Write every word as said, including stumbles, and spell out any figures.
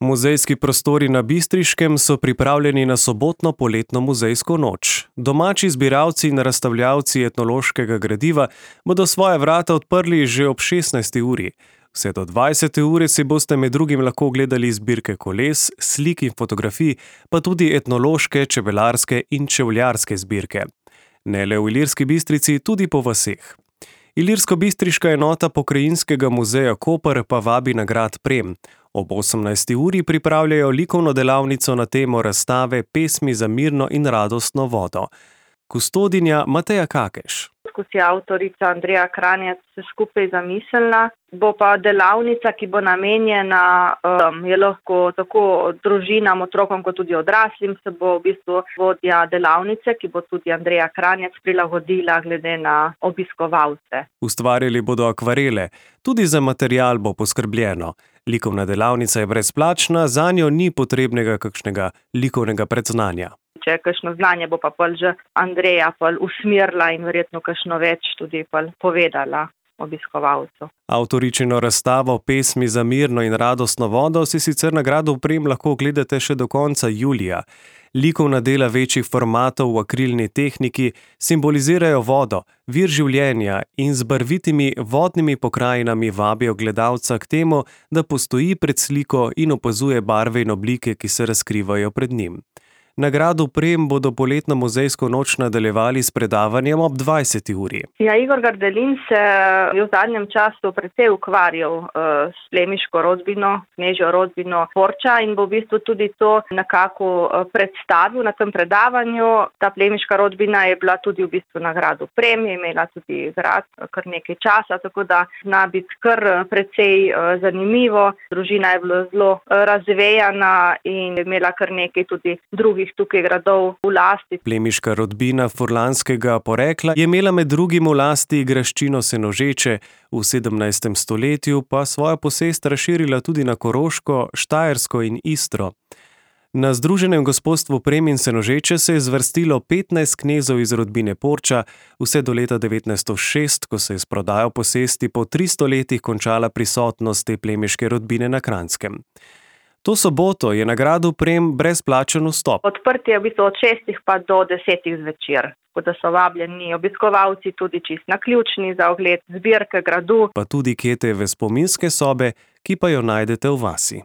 Muzejski prostori na Bistriškem so pripravljeni na sobotno poletno muzejsko noč. Domači zbiralci in razstavljavci etnološkega gradiva bodo svoja vrata odprli že ob šestnajsti uri. Vse do dvajsete ure si boste med drugim lahko ogledali zbirke koles, slik in fotografij, pa tudi etnološke, čebelarske in čevljarske zbirke. Ne le v Ilirski Bistrici, tudi po vaseh. Ilirsko-bistriška enota Pokrajinskega muzeja Koper pa vabi na grad Prem. Ob osemnajsti uri pripravljajo likovno delavnico na temo razstave Pesmi za mirno in radostno vodo. Kustodinja Mateja Kakeš. Ko si avtorica Andreja Kranjec se skupaj zamislila, bo pa delavnica, ki bo namenjena, um, je lahko tako družinam, otrokom, kot tudi odraslim, se bo v bistvu vodja delavnice, ki bo tudi Andreja Kranjec prilagodila glede na obiskovalce. Ustvarjali bodo akvarele, tudi za material bo poskrbljeno. Likovna delavnica je brezplačna, zanjo ni potrebnega kakšnega likovnega predznanja. Če je kakšno znanje, bo pa pol že Andreja pol usmerila in verjetno kakšno več tudi pol povedala obiskovalcu. Avtoričino razstavo Pesmi za mirno in radostno vodo si sicer na gradu Prem lahko ogledate še do konca julija. Likovna dela večjih formatov v akrilni tehniki simbolizirajo vodo, vir življenja in z barvitimi vodnimi pokrajinami vabijo gledalca k temu, da postoji pred sliko in opazuje barve in oblike, ki se razkrivajo pred njim. Na gradu Prem bodo poletno muzejsko noč nadaljevali s predavanjem ob dvajseti uri. Ja, Igor Gardelin se je v zadnjem času precej ukvarjal uh, s plemiško rodbino, knežjo rodbino Porča in bo v bistvu tudi to nekako uh, predstavil na tem predavanju. Ta plemiška rodbina je bila tudi v bistvu na gradu Prem, je imela tudi grad kar nekaj časa, tako da zna biti kar precej uh, zanimivo. Družina je bila zelo uh, razvejana in je imela kar nekaj tudi drugih tukaj gradov v lasti. Plemiška rodbina furlanskega porekla je imela med drugim v lasti graščino Senožeče, v sedemnajstem stoletju pa svojo posest razširila tudi na Koroško, Štajersko in Istro. Na Združenem gospodstvu Prem in Senožeče se je zvrstilo petnajst knezov iz rodbine Porča, vse do leta devetnajststo šest, ko se je s prodajo posesti po tristo letih končala prisotnost te plemiške rodbine na Kranjskem. To soboto je na gradu Prem brezplačen vstop. Odprti je v bistvu od šestih pa do desetih zvečer, tako da so vabljeni obiskovalci tudi čisto naključni za ogled zbirke gradu. Pa tudi Ketejeve spominske sobe, ki pa jo najdete v vasi.